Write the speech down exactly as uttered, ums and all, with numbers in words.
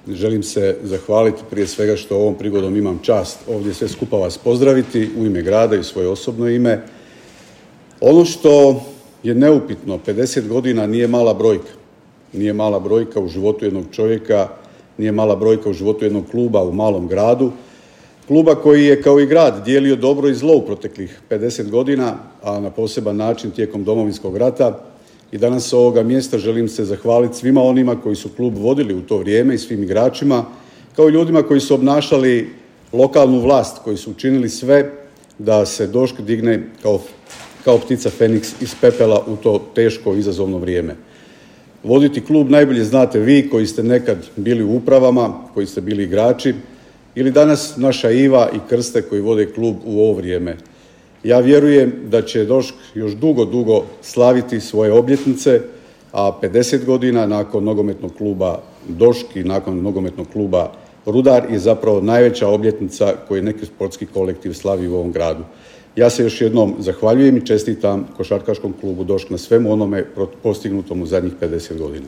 želim se zahvaliti prije svega što ovom prigodom imam čast ovdje sve skupa vas pozdraviti u ime grada i u svoje osobno ime. Ono što je neupitno, pedeset godina nije mala brojka. Nije mala brojka u životu jednog čovjeka, nije mala brojka u životu jednog kluba u malom gradu. Kluba koji je kao i grad dijelio dobro i zlo u proteklih pedeset godina, a na poseban način tijekom Domovinskog rata. I danas s ovoga mjesta želim se zahvaliti svima onima koji su klub vodili u to vrijeme i svim igračima, kao i ljudima koji su obnašali lokalnu vlast, koji su učinili sve da se Došk digne kao, kao ptica Feniks iz pepela u to teško izazovno vrijeme. Voditi klub najbolje znate vi koji ste nekad bili u upravama, koji ste bili igrači, ili danas naša Iva i Krste koji vode klub u ovo vrijeme. Ja vjerujem da će Došk još dugo, dugo slaviti svoje obljetnice, a pedeset godina nakon nogometnog kluba Došk i nakon nogometnog kluba Rudar je zapravo najveća obljetnica koju neki sportski kolektiv slavi u ovom gradu. Ja se još jednom zahvaljujem i čestitam košarkaškom klubu Došk na svemu onome postignutom u zadnjih pedeset godina.